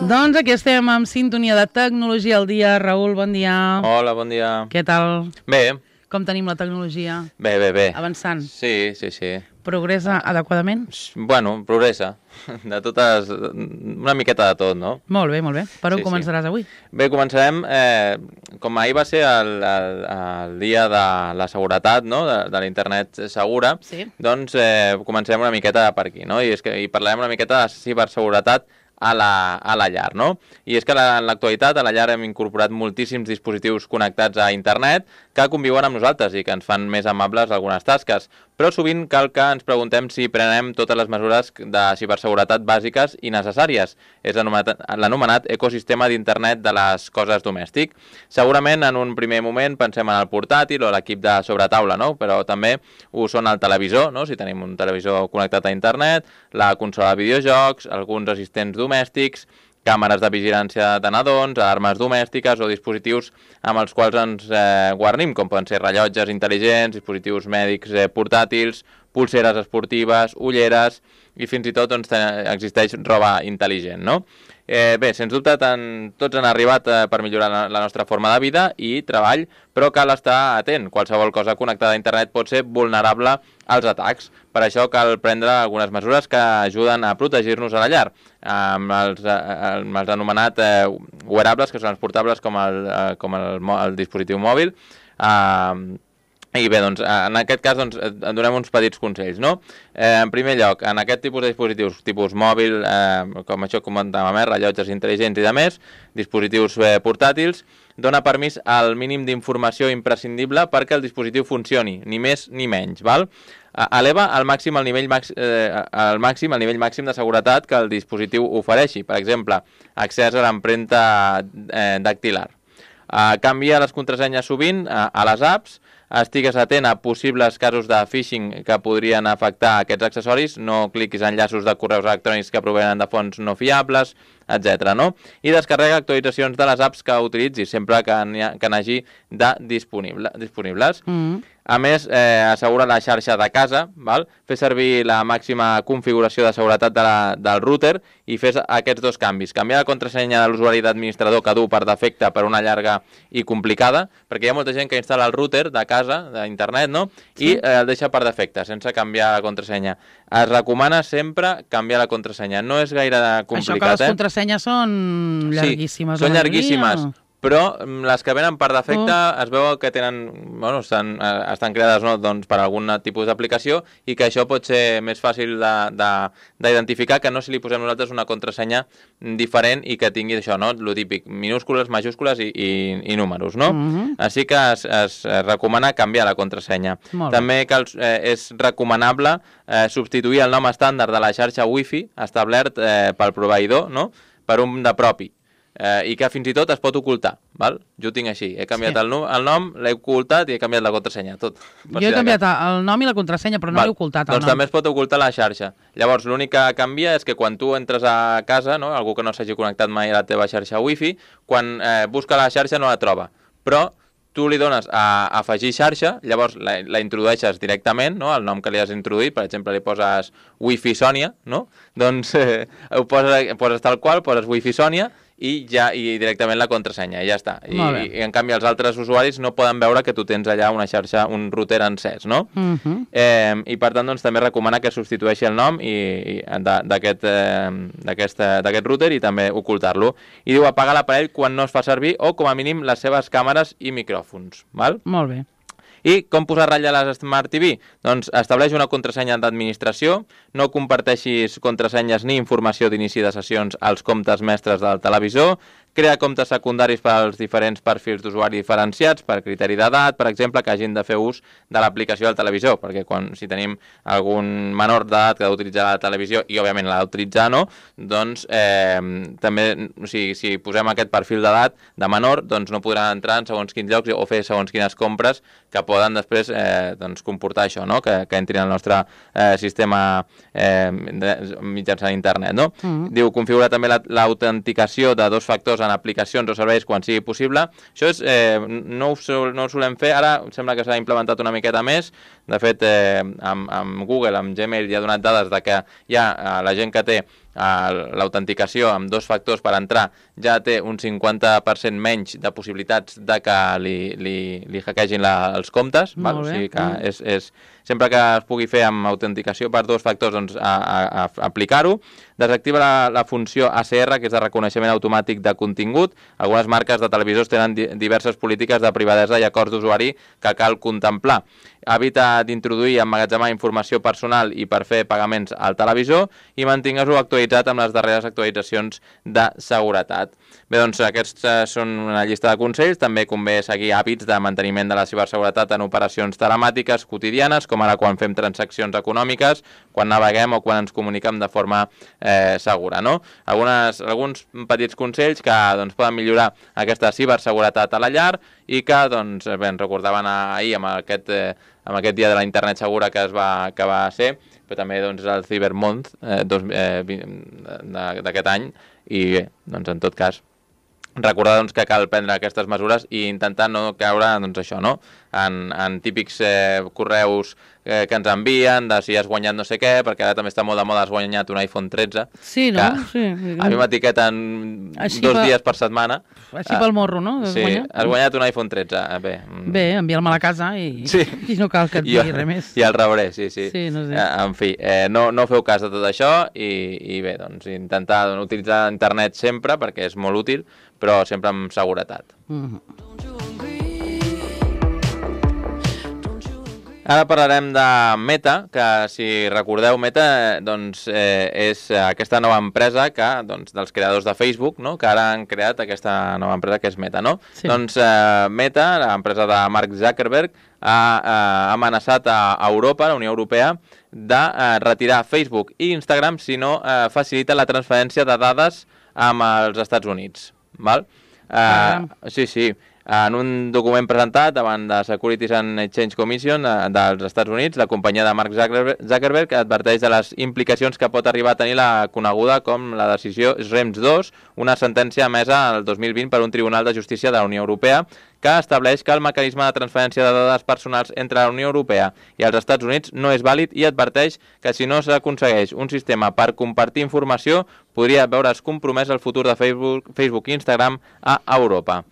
Doncs aquí estem amb sintonia de tecnologia al dia. Raül, bon dia. Hola, bon dia. Què tal? Bé. Com tenim la tecnologia? Bé. Avançant. Sí. Progressa adequadament? Bueno, progressa. De totes... Una miqueta de tot, no? Molt bé. Per on començaràs avui? Bé, començarem... com ahir va ser el dia de la seguretat, no?, de l'internet segura, doncs començarem una miqueta per aquí, no? I parlarem una miqueta de ciberseguretat a la llar, no? I és que en l'actualitat a la llar hem incorporat moltíssims dispositius connectats a internet que conviuen amb nosaltres i que ens fan més amables algunes tasques, però sovint cal que ens preguntem si prenem totes les mesures de ciberseguretat bàsiques i necessàries. És l'anomenat ecosistema d'internet de les coses domèstic. Segurament en un primer moment pensem en el portàtil o l'equip de sobretaula, no? Però també ho són el televisor, no? Si tenim un televisor connectat a internet, la consola de videojocs, alguns assistents domèstics, càmeres de vigilància de nadons, armes domèstiques o dispositius amb els quals ens guarnim, com poden ser rellotges intel·ligents, dispositius mèdics portàtils, pulseres esportives, ulleres i fins i tot doncs, existeix roba intel·ligent, no? Bé, sens dubte tots han arribat per millorar la nostra forma de vida i treball, però cal estar atent. Qualsevol cosa connectada a internet pot ser vulnerable als atacs. Per això cal prendre algunes mesures que ajuden a protegir-nos a la llar, amb els anomenats wearables, que són els portables com el dispositiu mòbil. I bé, doncs, en aquest cas doncs, en donem uns petits consells, no? En primer lloc, en aquest tipus de dispositius, tipus mòbil, com això comentàvem, rellotges intel·ligents i demés, dispositius portàtils, dona permís al mínim d'informació imprescindible perquè el dispositiu funcioni, ni més ni menys, val? Eleva al màxim el nivell màxim de seguretat que el dispositiu ofereixi, per exemple, accés a l'empremta dactilar. Canvia les contrasenyes sovint a les apps, estigues atent a possibles casos de phishing que podrien afectar aquests accessoris, no cliquis en enllaços de correus electrònics que provenen de fonts no fiables, etc. no? I descarrega actualitzacions de les apps que utilitzis, sempre que n'hagi de disponibles. A més, assegura la xarxa de casa, val? Fes servir la màxima configuració de seguretat del router i fes aquests dos canvis. Canviar la contrasenya de l'usuari d'administrador que du per defecte per una llarga i complicada, perquè hi ha molta gent que instal·la el router de casa, d'internet, no? I el deixa per defecte, sense canviar la contrasenya. Es recomana sempre canviar la contrasenya. No és gaire complicat, Això que les contrasenyes són llarguíssimes. Sí, són llarguíssimes. Però les que venen per defecte es veu que estan creades per algun tipus d'aplicació i que això pot ser més fàcil d'identificar que no si li posem nosaltres una contrasenya diferent i que tingui això, no? Lo típic, minúscules, majúscules i números, no? Així que es recomana canviar la contrasenya. També és recomanable substituir el nom estàndard de la xarxa Wi-Fi establert pel proveïdor, no? Per un de propi. I que fins i tot es pot ocultar, val? Jo ho tinc així, he canviat el nom, l'he ocultat i he canviat la contrasenya, tot. Jo he canviat el nom i la contrasenya, però no l'he ocultat, el nom. Doncs també es pot ocultar la xarxa. Llavors, l'únic que canvia és que quan tu entres a casa, no? Algú que no s'hagi connectat mai a la teva xarxa Wi-Fi, quan busca la xarxa no la troba, però tu li dones a afegir xarxa, llavors la introdueixes directament, no? El nom que li has introduït, per exemple, li poses Wi-Fi Sònia, no? Doncs ho poses tal qual, poses Wi-Fi Sònia i directament la contrasenya, i ja està. I en canvi els altres usuaris no poden veure que tu tens allà una xarxa, un router encès, no? I per tant doncs, també recomana que substitueixi el nom d'aquest router i també ocultar-lo. I diu apagar l'aparell quan no es fa servir o com a mínim les seves càmeres i micròfons, val? Molt bé. I com posar ratlla a les Smart TV? Doncs estableix una contrasenya d'administració, no comparteixis contrasenyes ni informació d'inici de sessions als comptes mestres del televisor, crea comptes secundaris per als diferents perfils d'usuari diferenciats per criteri d'edat, per exemple, que hagin de fer ús de l'aplicació del televisor, perquè si tenim algun menor d'edat que ha d'utilitzar la televisió i, òbviament, l'ha d'utilitzar, no? Doncs també, si posem aquest perfil d'edat de menor, doncs no podran entrar en segons quins llocs o fer segons quines compres que poden després comportar això, no? Que entrin al nostre sistema mitjançant internet, no? Diu, configura també l'autenticació de dos factors en aplicacions o serveis quan sigui possible. Això no ho solem fer, ara sembla que s'ha implementat una miqueta més. De fet, amb Google, amb Gmail, ja ha donat dades de que la gent que té l'autenticació amb 2 factors per entrar ja té un 50% menys de possibilitats de que li hackegin els comptes. O sigui que sempre que es pugui fer amb autenticació per 2 factors, doncs aplicar-ho. Desactiva la funció ACR, que és de reconeixement automàtic de contingut. Algunes marques de televisors tenen diverses polítiques de privadesa i acords d'usuari que cal contemplar. Evita d'introduir i emmagatzemar informació personal i per fer pagaments al televisor i mantingues-ho actualitzat amb les darreres actualitzacions de seguretat. Bé, doncs aquests són una llista de consells. També convé seguir hàbits de manteniment de la ciberseguretat en operacions telemàtiques quotidianes, com ara quan fem transaccions econòmiques, quan naveguem o quan ens comuniquem de forma segura, no? Alguns petits consells que poden millorar aquesta ciberseguretat a la llar i que ens recordaven ahir amb aquest dia de la internet segura que va ser, però també és el Cyber Month d'aquest any i bé, en tot cas recordar que cal prendre aquestes mesures i intentar no caure en típics correus que ens envien de si has guanyat no sé què, perquè ara també està molt de moda, has guanyat un iPhone 13. Sí, no? Sí. A mi m'etiqueten 2 dies per setmana. Així pel morro, no? Sí, has guanyat un iPhone 13. Bé, envia'l-me a la casa i no cal que et digui res més. I el rebré, sí. Sí, no sé. En fi, no feu cas de tot això i bé, intentar utilitzar internet sempre perquè és molt útil, però sempre amb seguretat. Ara parlarem de Meta, que si recordeu, Meta és aquesta nova empresa dels creadors de Facebook, que ara han creat aquesta nova empresa que és Meta, no? Sí. Meta, l'empresa de Mark Zuckerberg, ha amenaçat a Europa, a la Unió Europea, de retirar Facebook i Instagram si no facilita la transferència de dades amb els Estats Units. Val? Sí. En un document presentat davant de Securities and Exchange Commission dels Estats Units, la companyia de Mark Zuckerberg adverteix de les implicacions que pot arribar a tenir la coneguda com la decisió Schrems II, una sentència emesa el 2020 per un Tribunal de Justícia de la Unió Europea que estableix que el mecanisme de transferència de dades personals entre la Unió Europea i els Estats Units no és vàlid i adverteix que si no s'aconsegueix un sistema per compartir informació podria veure's compromès el futur de Facebook i Instagram a Europa.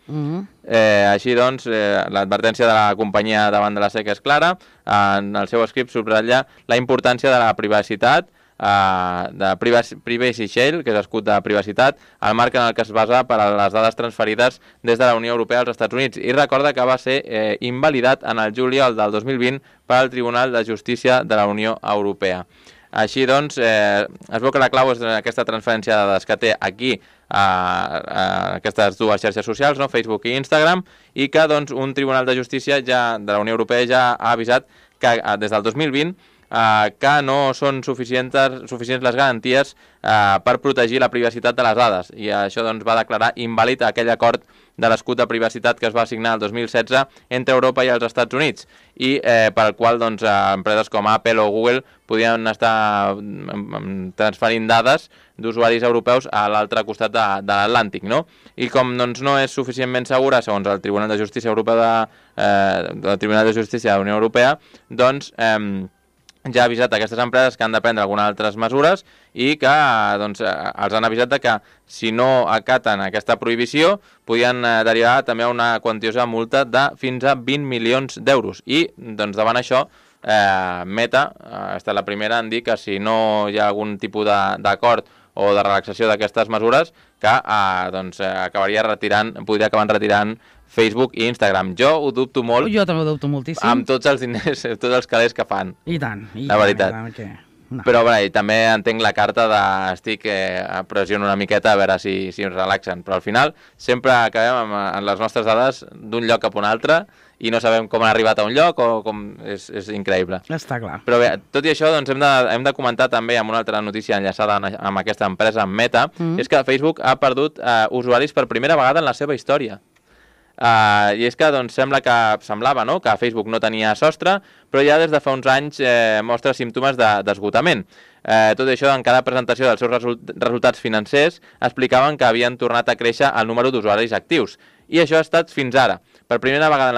Així doncs, l'advertència de la companyia davant de la SEC és clara. En el seu escrit subratlla la importància de la privacitat, de Privacy Shield, que és escut de privacitat, el marc en el que es basa per a les dades transferides des de la Unió Europea als Estats Units, i recorda que va ser invalidat en el juliol del 2020 pel Tribunal de Justícia de la Unió Europea. Així doncs, es veu que la clau és aquesta transferència de dades que té aquí aquestes dues xarxes socials, Facebook i Instagram, i que un Tribunal de Justícia de la Unió Europea ja ha avisat que des del 2020 que no són suficients les garanties per protegir la privacitat de les dades, i això va declarar invàlid aquell acord de l'escut de privacitat que es va signar el 2016 entre Europa i els Estats Units, i pel qual empreses com Apple o Google podien estar transferint dades d'usuaris europeus a l'altre costat de l'Atlàntic, no? I com no és suficientment segura, segons el Tribunal de Justícia Europea del Tribunal de Justícia de la Unió Europea, ja ha avisat aquestes empreses que han de prendre algunes altres mesures i que els han avisat que si no acaten aquesta prohibició podien derivar també a una quantiosa multa de fins a 20 milions d'euros. I davant això, Meta ha estat la primera en dir que si no hi ha algun tipus d'acord o de relaxació d'aquestes mesures, que podria acabar retirant Facebook i Instagram. Jo ho dubto molt. Jo també ho dubto moltíssim. Amb tots els diners, tots els calés que fan. I tant. La veritat. No. Però també entenc la carta estic pressionant una miqueta a veure si ens relaxen. Però al final sempre acabem amb les nostres dades d'un lloc cap a un altre i no sabem com han arribat a un lloc o com... És increïble. Està clar. Però bé, tot i això hem de comentar també amb una altra notícia enllaçada amb aquesta empresa, amb Meta, és que Facebook ha perdut usuaris per primera vegada en la seva història. I és que semblava que Facebook no tenia sostre, però ja des de fa uns anys mostra símptomes d'esgotament. Tot això, en cada presentació dels seus resultats financers, explicaven que havien tornat a créixer el número d'usuaris actius. I això ha estat fins ara. Per primera vegada en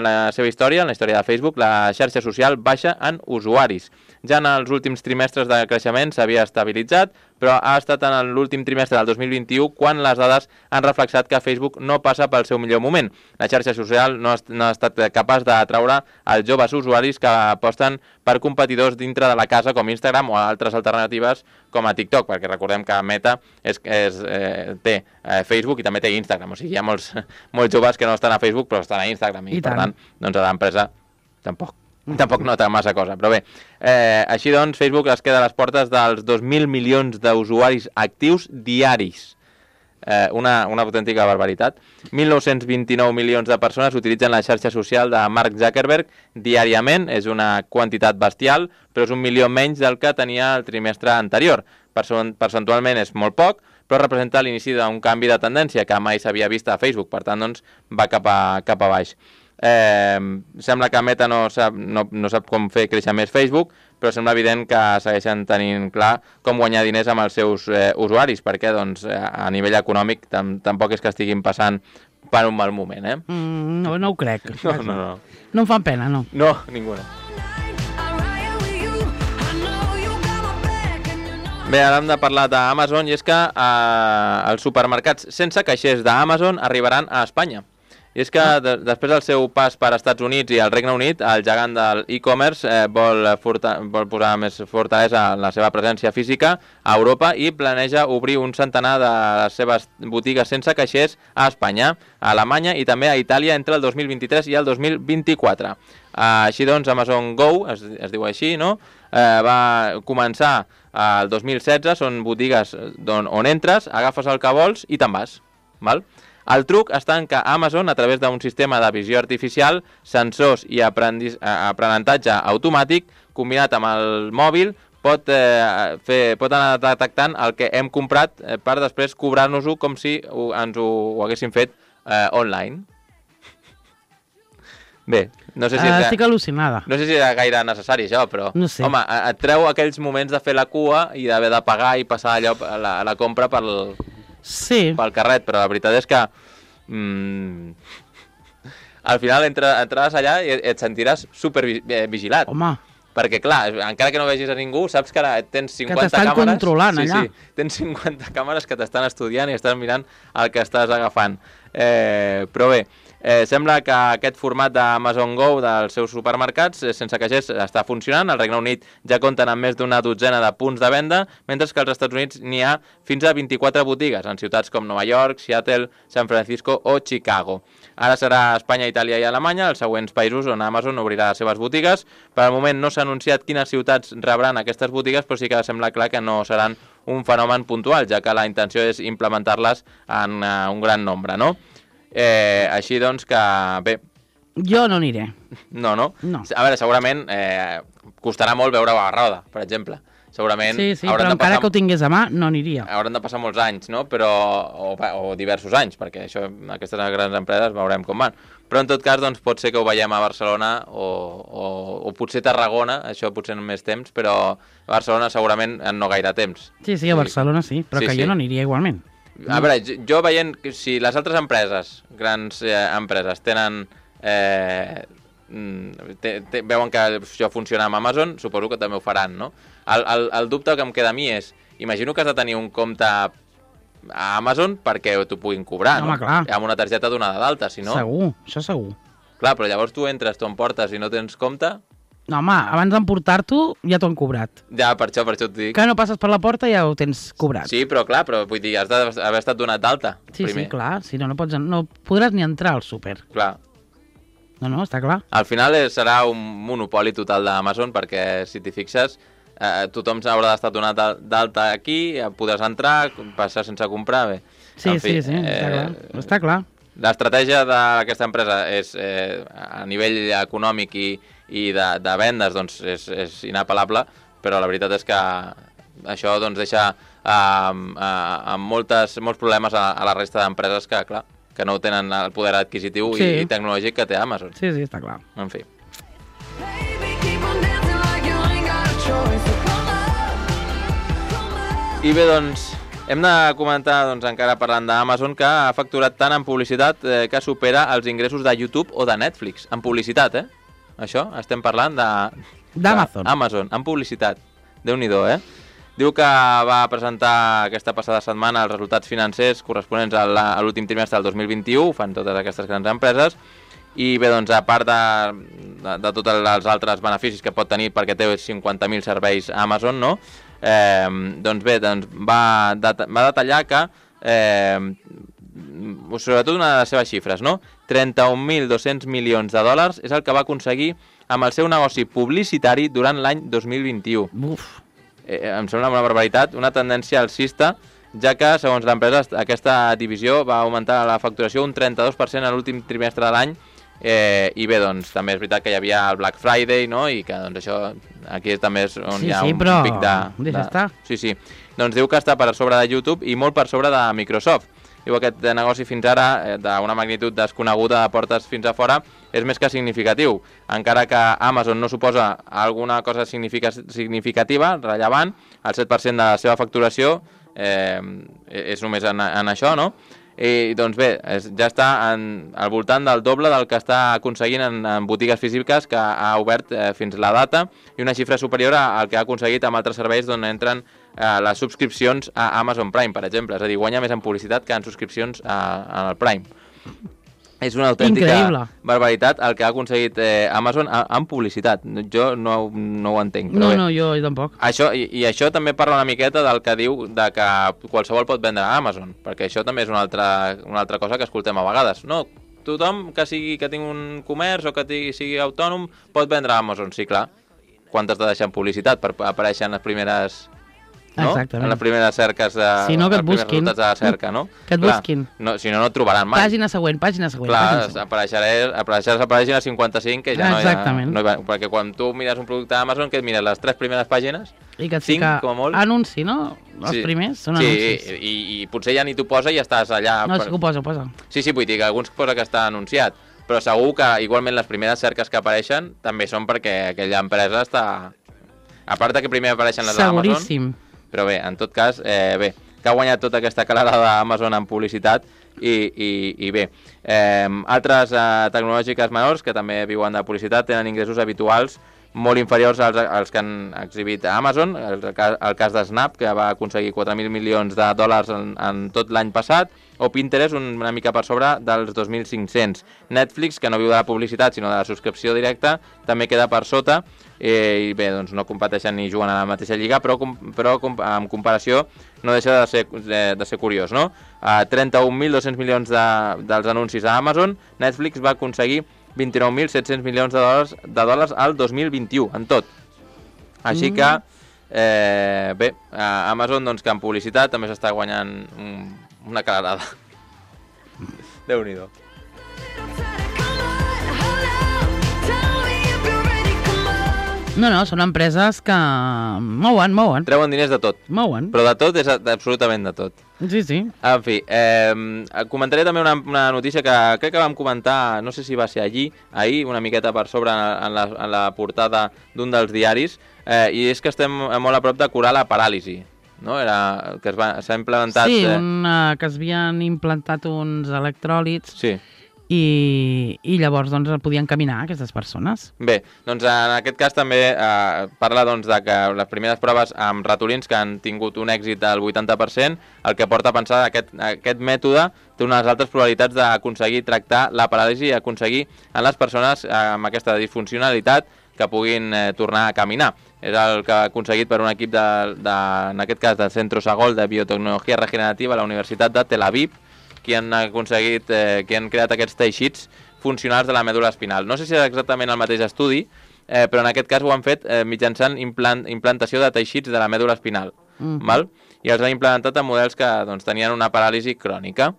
la seva història, en la història de Facebook, la xarxa social baixa en usuaris. ja en els últims trimestres de creixement s'havia estabilitzat, però ha estat en l'últim trimestre del 2021 quan les dades han reflexat que Facebook no passa pel seu millor moment. La xarxa social no ha estat capaç d'atraure els joves usuaris que aposten per competidors dintre de la casa com Instagram o altres alternatives com a TikTok, perquè recordem que Meta té Facebook i també té Instagram, o sigui, hi ha molts joves que no estan a Facebook però estan a Instagram i per tant, doncs a l'empresa tampoc nota massa cosa, però bé, així doncs Facebook es queda a les portes dels 2.000 milions d'usuaris actius diaris. Una autèntica barbaritat. 1.929 milions de persones utilitzen la xarxa social de Mark Zuckerberg diàriament, és una quantitat bestial, però és 1 milió menys del que tenia el trimestre anterior. Percentualment és molt poc, però representa l'inici d'un canvi de tendència que mai s'havia vist a Facebook, per tant doncs, va cap a baix. Sembla que Meta no sap com fer créixer més Facebook, però sembla evident que segueixen tenint clar com guanyar diners amb els seus usuaris, perquè doncs, a nivell econòmic tampoc és que estiguin passant per un mal moment. No ho crec. No. No em fan pena, no. No, ninguna. Bé, ara hem de parlar d'Amazon, i és que els supermercats sense caixers d'Amazon arribaran a Espanya. I és que després del seu pas per Estats Units i el Regne Unit, el gegant del e-commerce vol posar més fortalesa en la seva presència física a Europa i planeja obrir un centenar de les seves botigues sense caixers a Espanya, a Alemanya i també a Itàlia entre el 2023 i el 2024. Així doncs, Amazon Go, es diu així, no? Va començar el 2016, són botigues on entres, agafes el que vols i te'n vas, val? El truc està en que Amazon, a través d'un sistema de visió artificial, sensors i aprenentatge automàtic, combinat amb el mòbil, pot anar detectant el que hem comprat per després cobrar-nos-ho com si ens ho haguéssim fet online. Bé, no sé si... Estic al·lucinada. No sé si era gaire necessari això, però... No sé. Home, et treu aquells moments de fer la cua i d'haver de pagar i passar allò, la compra pel carret, però la veritat és que al final entraràs allà i et sentiràs supervigilat. Home. Perquè, clar, encara que no vegis a ningú, saps que ara tens 50 càmeres... Que t'estan controlant allà. Sí, tens 50 càmeres que t'estan estudiant i estan mirant el que estàs agafant. Però bé, sembla que aquest format d'Amazon Go dels seus supermercats sense caixers està funcionant. Al Regne Unit ja compten amb més d'una dotzena de punts de venda, mentre que als Estats Units n'hi ha fins a 24 botigues en ciutats com Nova York, Seattle, San Francisco o Chicago. Ara serà Espanya, Itàlia i Alemanya, els següents països on Amazon obrirà les seves botigues. Per al moment no s'ha anunciat quines ciutats rebran aquestes botigues, però sí que sembla clar que no seran un fenomen puntual, ja que la intenció és implementar-les en un gran nombre, no? Així doncs que, bé... Jo no aniré. No. A veure, segurament costarà molt veure a Roda, per exemple. Segurament... Sí, però encara que ho tingués a mà, no aniria. Hauran de passar molts anys, no? Però, o diversos anys, perquè això, aquestes grans empreses veurem com van. Però en tot cas, doncs, pot ser que ho veiem a Barcelona o potser Tarragona, això potser en més temps, però a Barcelona segurament en no gaire temps. Sí, a Barcelona sí, però que jo no aniria igualment. A veure, jo veient que si les altres empreses, grans empreses, tenen... veuen que això funciona amb Amazon, suposo que també ho faran, no? El dubte que em queda a mi és, imagino que has de tenir un compte a Amazon perquè t'ho puguin cobrar, no? Home, clar. Amb una targeta donada d'alta, si no... Segur, això segur. Clar, però llavors tu entres, t'ho emportes i no tens compte... No, home, abans d'emportar-t'ho ja t'ho han cobrat. Ja, per això t'ho dic. Que no passes per la porta ja ho tens cobrat. Sí, però clar, vull dir, has d'haver estat donat d'alta primer. Sí, clar, si no podràs ni entrar al súper. Clar. No, està clar. Al final serà un monopoli total d'Amazon, perquè si t'hi fixes, tothom haurà d'estar donat d'alta aquí, podràs entrar, passar sense comprar, bé. Sí, està clar. L'estratègia d'aquesta empresa és, a nivell econòmic i de vendes, doncs és inapel·lable, però la veritat és que això doncs, deixa amb molts problemes a la resta d'empreses que, clar, que no tenen el poder adquisitiu i tecnològic que té Amazon. Sí, està clar. En fi. I bé, doncs, hem de comentar, doncs, encara parlant d'Amazon, que ha facturat tant en publicitat que supera els ingressos de YouTube o de Netflix. En publicitat, Això, estem parlant de D'Amazon. Amazon, en publicitat. Déu-n'hi-do, Diu que va presentar aquesta passada setmana els resultats financers corresponents a l'últim trimestre del 2021, fan totes aquestes grans empreses, i bé, doncs, a part de tots els altres beneficis que pot tenir perquè té 50.000 serveis a Amazon, no? Doncs bé, va detallar que, sobretot una de les seves xifres, no? 31.200 milions de dòlars és el que va aconseguir amb el seu negoci publicitari durant l'any 2021. Uf. Em sembla una barbaritat, una tendència alcista, ja que, segons l'empresa, aquesta divisió va augmentar la facturació un 32% a l'últim trimestre de l'any, i bé, doncs, també és veritat que hi havia el Black Friday, no?, i que, doncs, això, aquí també és on hi ha un pic de... Sí, doncs diu que està per sobre de YouTube i molt per sobre de Microsoft. Diu que aquest negoci fins ara, d'una magnitud desconeguda de portes fins a fora, és més que significatiu. Encara que Amazon no suposa alguna cosa significativa, rellevant, el 7% de la seva facturació és només en això, no? I doncs bé, ja està al voltant del doble del que està aconseguint en botigues físiques que ha obert fins la data, i una xifra superior al que ha aconseguit amb altres serveis d'on entren les subscripcions a Amazon Prime, per exemple. És a dir, guanya més en publicitat que en subscripcions al Prime. És una autèntica barbaritat el que ha aconseguit Amazon en publicitat. Jo no ho entenc. No, jo tampoc. I això també parla una miqueta del que diu de que qualsevol pot vendre a Amazon, perquè això també és una altra cosa que escoltem a vegades. No, tothom que tingui un comerç o que sigui autònom pot vendre a Amazon. Sí, clar. Quan t'has de deixar en publicitat per aparèixer en les primeres... No? Exactament. En les primeres cerques si no, que et busquin. Els resultats de la cerca, no? Que et busquin. No, si no, no et trobaran mai. Pàgina següent. Clar, apareixeràs a la pàgina 55, que ja no hi va. Perquè quan tu mires un producte a Amazon, que et mires les 3 primeres pàgines, i que et fica anunci, no? Els primers són anuncis. Sí, i potser ja ni t'ho posa i estàs allà... No, sí que ho posa. Sí, vull dir que alguns posa que està anunciat, però segur que igualment les primeres cerques que apareixen també són perquè aquella empresa està... A part que primer apareixen les d'Amazon... Seguríssim. Però bé, en tot cas, que ha guanyat tota aquesta calarada d'Amazon en publicitat i bé. Altres tecnològiques menors que també viuen de publicitat tenen ingressos habituals molt inferiors als que han exhibit a Amazon. El cas de Snap, que va aconseguir 4.000 milions de dòlars en tot l'any passat, o Pinterest, una mica per sobre dels 2.500. Netflix, que no viu de la publicitat, sinó de la subscripció directa, també queda per sota, i bé, doncs no competeixen ni juguen a la mateixa lliga, però en comparació no deixa de ser curiós, no? 31.200 milions dels anuncis a Amazon, Netflix va aconseguir 29.700 milions de dòlars al 2021, en tot. Així que, bé, Amazon, doncs, que en publicitat també s'està guanyant una calarada. Déu-n'hi-do. No, són empreses que mouen. Treuen diners de tot. Mouen. Però de tot és absolutament de tot. Sí. En fi, comentaré també una notícia que crec que vam comentar, no sé si va ser ahir, una miqueta per sobre en la portada d'un dels diaris, i és que estem molt a prop de curar la paràlisi. No? Que s'ha implementat... Sí, que es havien implantat uns electròlits. Sí. I llavors doncs podien caminar aquestes persones. Bé, doncs en aquest cas també parla doncs, de que les primeres proves amb ratolins que han tingut un èxit del 80%, el que porta a pensar que aquest mètode té unes altres probabilitats d'aconseguir tractar la paràlisi i aconseguir en les persones amb aquesta disfuncionalitat que puguin tornar a caminar. És el que ha aconseguit per un equip en aquest cas del Centro Sagol de Biotecnologia Regenerativa a la Universitat de Tel Aviv, que han creat aquests teixits funcionals de la mèdula espinal. No sé si és exactament el mateix estudi, però en aquest cas ho han fet mitjançant implantació de teixits de la mèdula espinal. Val? I els han implementat en models que doncs, tenien una paràlisi crònica.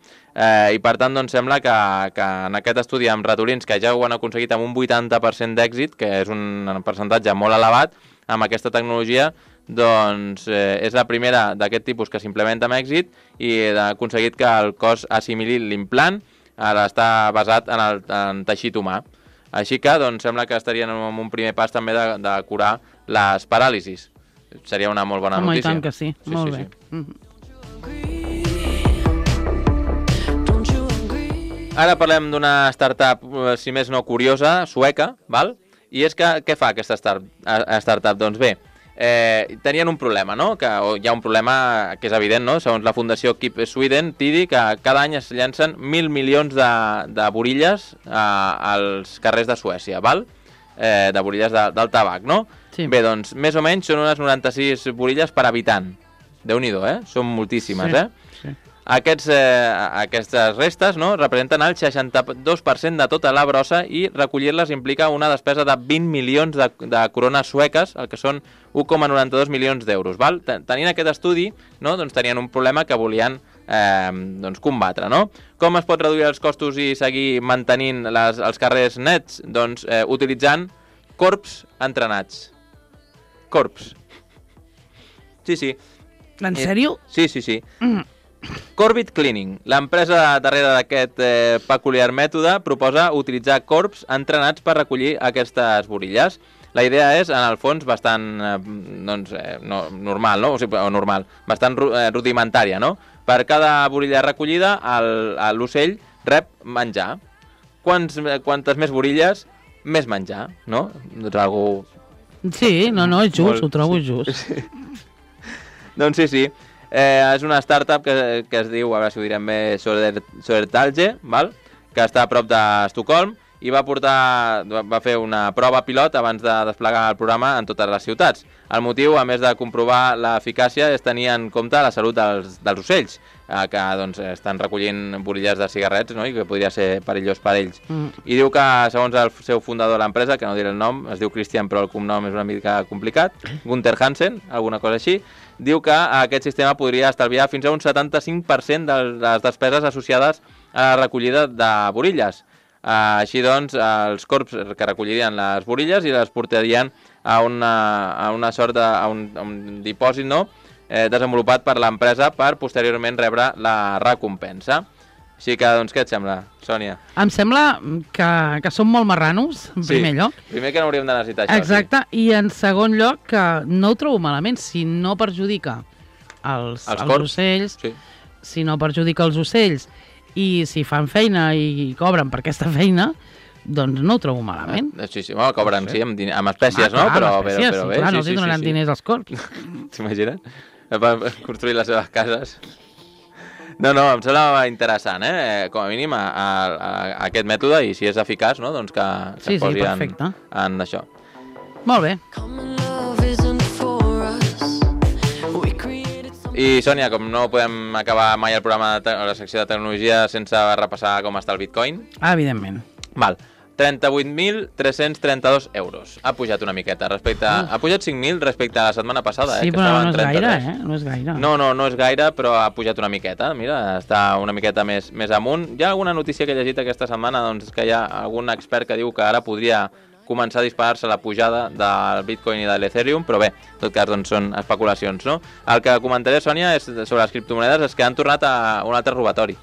I per tant doncs, sembla que en aquest estudi amb ratolins que ja ho han aconseguit amb un 80% d'èxit, que és un percentatge molt elevat, amb aquesta tecnologia, doncs és la primera d'aquest tipus que s'implementa amb èxit i ha aconseguit que el cos assimili l'implant, ara està basat en teixit humà. Així que doncs, sembla que estarien en un primer pas també de curar les paràlisis. Seria una molt bona notícia. I tant que sí, molt bé. Ara parlem d'una startup, si més no curiosa, sueca, val? I és que, què fa aquesta startup? Doncs bé, tenien un problema, no? Que hi ha un problema que és evident, no? Segons la Fundació Keep Sweden, Tiddy, que cada any es llancen 1.000 milions de borilles als carrers de Suècia, val? De borilles del tabac, no? Sí. Bé, doncs, més o menys són unes 96 borilles per habitant. Déu-n'hi-do, Són moltíssimes, Sí. Aquestes restes, no, representen el 62% de tota la brossa i recollir-les implica una despesa de 20 milions de corones sueques, el que són 1,92 milions d'euros. Tenint aquest estudi, no, doncs tenien un problema que volien doncs combatre, no? Com es pot reduir els costos i seguir mantenint els carrers nets? Doncs utilitzant corps entrenats. Corps. Sí. En sèrio? Sí. Corbett Cleaning, l'empresa darrere d'aquest peculiar mètode, proposa utilitzar corps entrenats per recollir aquestes borilles. La idea és, en el fons, bastant normal, no? O normal, bastant rudimentària, no? Per cada borilla recollida, l'ocell rep menjar. Quantes més borilles, més menjar, no? Doncs algú... Sí, no, és just, ho trobo just. Sí. Doncs sí. És una startup que es diu, a veure si ho direm bé, Södertälje, que està a prop d'Estocolm, i va fer una prova pilot abans de desplegar el programa en totes les ciutats. El motiu, a més de comprovar l'eficàcia, és tenir en compte la salut dels ocells, que doncs, estan recollint borilles de cigarrets, no? I que podria ser perillós per ells. I diu que, segons el seu fundador de l'empresa, que no diré el nom, es diu Christian, però el cognom és una mica complicat, Gunther Hansen, alguna cosa així, diu que aquest sistema podria estalviar fins a un 75% de les despeses associades a la recollida de borilles. Així doncs, els corps que recollirien les borilles i les portarien a una sort un dipòsit, no? Desenvolupat per l'empresa per posteriorment rebre la recompensa. Així que, doncs, què et sembla, Sònia? Em sembla que són molt marranos, en primer lloc. Primer que no hauríem de necessitar això. Exacte, i en segon lloc que no ho trobo malament, si no perjudica els ocells, si no perjudica els ocells, i si fan feina i cobren per aquesta feina, doncs no ho trobo malament. Sí, bueno, cobren, sí, amb espècies, no? Però bé. Clar, no els donaran diners als corps. T'imagines? Per construir les seves cases. No, em sembla interessant, com a mínim, aquest mètode, i si és eficaç, no? Doncs que es posi en això. Molt bé. I, Sònia, com no podem acabar mai el programa de la secció de tecnologia sense repassar com està el Bitcoin... Evidentment. 38.332 euros. Ha pujat una miqueta. Ha pujat 5.000 respecte a la setmana passada. Sí, però no és gaire, No és gaire. No és gaire, però ha pujat una miqueta. Mira, està una miqueta més amunt. Hi ha alguna notícia que he llegit aquesta setmana, doncs, que hi ha algun expert que diu que ara podria començar a disparar-se la pujada del Bitcoin i de l'Ethereum, però bé, en tot cas doncs, són especulacions, no? El que comentaré, Sònia, és sobre les criptomonedes, és que han tornat a un altre robatori.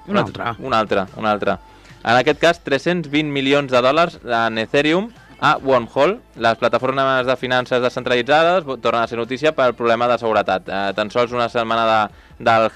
Un altre. En aquest cas, 320 milions de dòlars en Ethereum a Wormhole. Les plataformes de finances descentralitzades tornen a ser notícia pel problema de seguretat. Tan sols una setmana del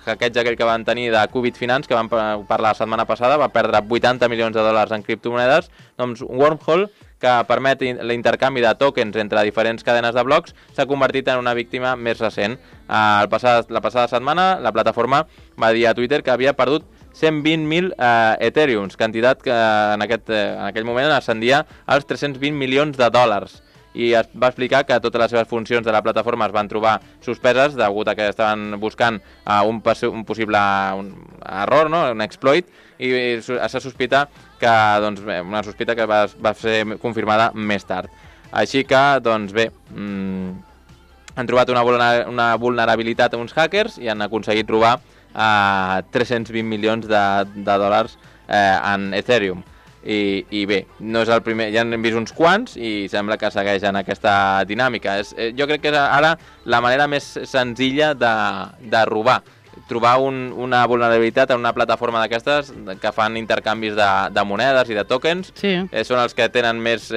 hackeig aquell que van tenir de Qubit Finance, que van parlar la setmana passada, va perdre 80 milions de dòlars en criptomonedes. Doncs Wormhole, que permet l'intercanvi de tokens entre diferents cadenes de blocs, s'ha convertit en una víctima més recent. La passada setmana, la plataforma va dir a Twitter que havia perdut 120.000 Ethereums, quantitat que en aquell moment ascendia als 320 milions de dòlars. I es va explicar que totes les seves funcions de la plataforma es van trobar suspeses degut a que estaven buscant un possible error, no? Un exploit, i se sospita que, doncs, una sospita que va ser confirmada més tard. Així que, doncs bé, han trobat una vulnerabilitat a uns hackers i han aconseguit robar 320 milions de dòlars en Ethereum. I bé, no és el primer, ja hem vist uns quants i sembla que segueixen aquesta dinàmica. Jo crec que és ara la manera més senzilla de robar. Trobar una vulnerabilitat en una plataforma d'aquestes que fan intercanvis de monedes i de tokens. Són els que tenen més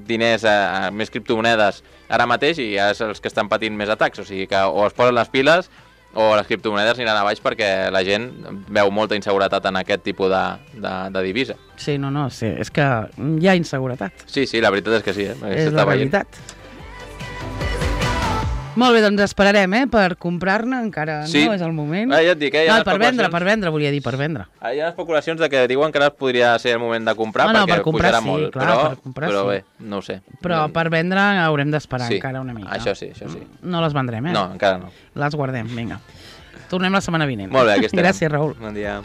diners, més criptomonedes ara mateix, i és els que estan patint més atacs. O sigui que o es posen les piles o les criptomonedes aniran a baix perquè la gent veu molta inseguretat en aquest tipus de divisa. Sí, sí, és que hi ha inseguretat. Sí, la veritat és que sí. És la realitat. Molt bé, doncs esperarem, per comprar-ne, encara no és el moment. Ja et dic, hi ha per vendre, volia dir, per vendre. Hi ha especulacions de que diuen que ara podria ser el moment de comprar perquè pujarà molt, però bé, no ho sé. Però per vendre haurem d'esperar encara una mica. Això sí. No les vendrem, No, encara no. Les guardem, vinga. Tornem la setmana vinent. Molt bé, aquí estem. Gràcies, Raül. Bon dia.